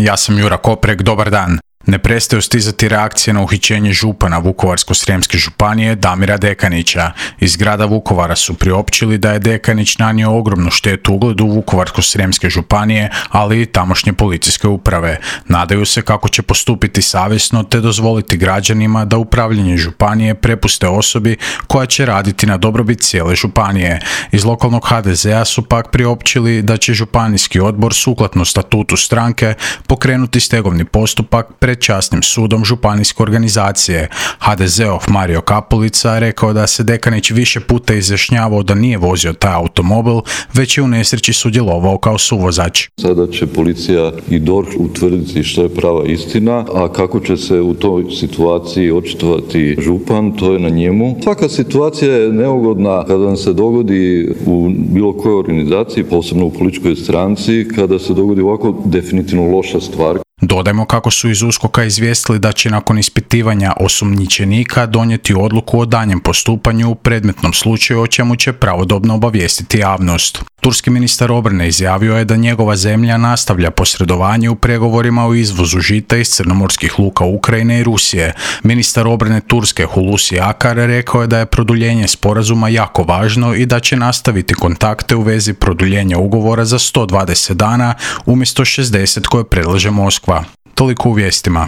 Ja sam Jura Koprek, dobar dan. Ne prestaju stizati reakcije na uhićenje župana Vukovarsko-srijemske županije Damira Dekanića. Iz grada Vukovara su priopćili da je Dekanić nanio ogromnu štetu ugledu Vukovarsko-srijemske županije, ali i tamošnje policijske uprave. Nadaju se kako će postupiti savjesno te dozvoliti građanima da upravljanje županije prepuste osobi koja će raditi na dobrobit cijele županije. Iz lokalnog HDZ-a su pak priopćili da će županijski odbor sukladno statutu stranke pokrenuti stegovni postupak pred časnim sudom županijske organizacije. HDZ-ov Mario Kapulica rekao da se Dekanić više puta izjašnjavao da nije vozio taj automobil, već je u nesreći sudjelovao kao suvozač. Sada će policija i DORH utvrditi što je prava istina, a kako će se u toj situaciji očitovati župan, to je na njemu. Svaka situacija je neugodna kada nam se dogodi u bilo kojoj organizaciji, posebno u političkoj stranci, kada se dogodi ovako definitivno loša stvar. Dodajmo kako su iz USKOK-a izvijestili da će nakon ispitivanja osumnjičenika donijeti odluku o daljnjem postupanju u predmetnom slučaju, o čemu će pravodobno obavijestiti javnost. Turski ministar obrane izjavio je da njegova zemlja nastavlja posredovanje u pregovorima o izvozu žita iz crnomorskih luka Ukrajine i Rusije. Ministar obrane Turske Hulusi Akar rekao je da je produljenje sporazuma jako važno i da će nastaviti kontakte u vezi produljenja ugovora za 120 dana umjesto 60 koje predlaže Moskva. Toliko u vijestima.